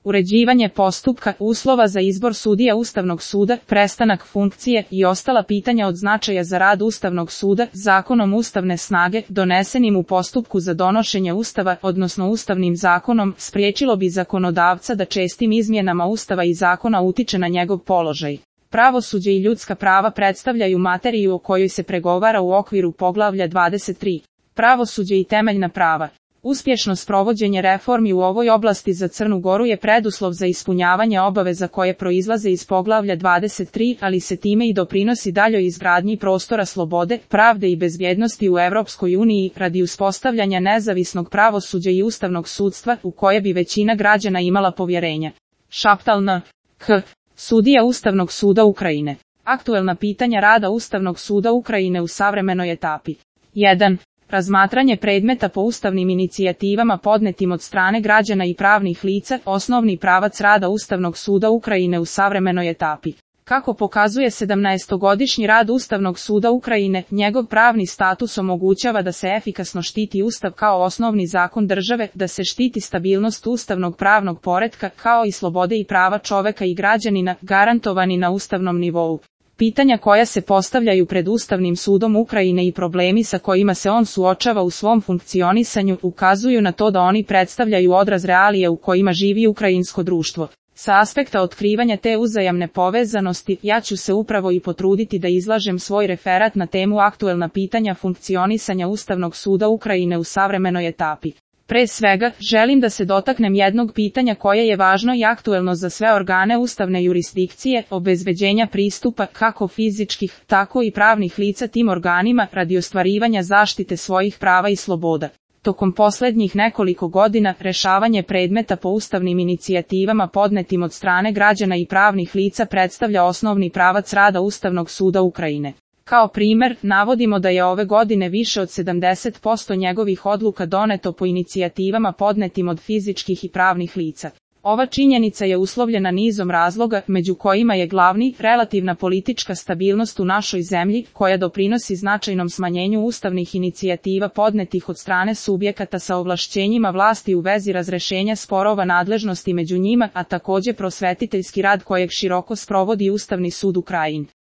uređivanje postupka, uslova za izbor sudija Ustavnog suda, prestanak funkcije i ostala pitanja od značaja za rad Ustavnog suda, zakonom ustavne snage, donesenim u postupku za donošenje Ustava, odnosno Ustavnim zakonom, spriječilo bi zakonodavca da čestim izmjenama Ustava i zakona utiče na njegov položaj. Pravosuđe i ljudska prava predstavljaju materiju o kojoj se pregovara u okviru poglavlja 23. Pravosuđe i temeljna prava. Uspješno sprovođenje reformi u ovoj oblasti za Crnu Goru je preduslov za ispunjavanje obaveza koje proizlaze iz poglavlja 23, ali se time i doprinosi daljoj izgradnji prostora slobode, pravde i bezbjednosti u Europskoj uniji radi uspostavljanja nezavisnog pravosuđa i ustavnog sudstva u koje bi većina građana imala povjerenja. Šaptal N.K. Sudija Ustavnog suda Ukrajine. Aktuelna pitanja rada Ustavnog suda Ukrajine u savremenoj etapi. 1. Razmatranje predmeta po ustavnim inicijativama podnetim od strane građana i pravnih lica, osnovni pravac rada Ustavnog suda Ukrajine u savremenoj etapi. Kako pokazuje 17-godišnji rad Ustavnog suda Ukrajine, njegov pravni status omogućava da se efikasno štiti Ustav kao osnovni zakon države, da se štiti stabilnost ustavnog pravnog poretka, kao i slobode i prava čoveka i građanina, garantovani na ustavnom nivou. Pitanja koja se postavljaju pred Ustavnim sudom Ukrajine i problemi sa kojima se on suočava u svom funkcionisanju ukazuju na to da oni predstavljaju odraz realije u kojima živi ukrajinsko društvo. Sa aspekta otkrivanja te uzajamne povezanosti, ja ću se upravo i potruditi da izlažem svoj referat na temu aktuelna pitanja funkcionisanja Ustavnog suda Ukrajine u savremenoj etapi. Pre svega, želim da se dotaknem jednog pitanja koje je važno i aktuelno za sve organe ustavne jurisdikcije, obezbeđenja pristupa kako fizičkih, tako i pravnih lica tim organima radi ostvarivanja zaštite svojih prava i sloboda. Tokom posljednjih nekoliko godina, rešavanje predmeta po ustavnim inicijativama podnetim od strane građana i pravnih lica predstavlja osnovni pravac rada Ustavnog suda Ukrajine. Kao primjer, navodimo da je ove godine više od 70% njegovih odluka doneto po inicijativama podnetim od fizičkih i pravnih lica. Ova činjenica je uslovljena nizom razloga, među kojima je glavni relativna politička stabilnost u našoj zemlji, koja doprinosi značajnom smanjenju ustavnih inicijativa podnetih od strane subjekata sa ovlašćenjima vlasti u vezi razrešenja sporova nadležnosti među njima, a također prosvetiteljski rad kojeg široko sprovodi Ustavni sud Ukrajine.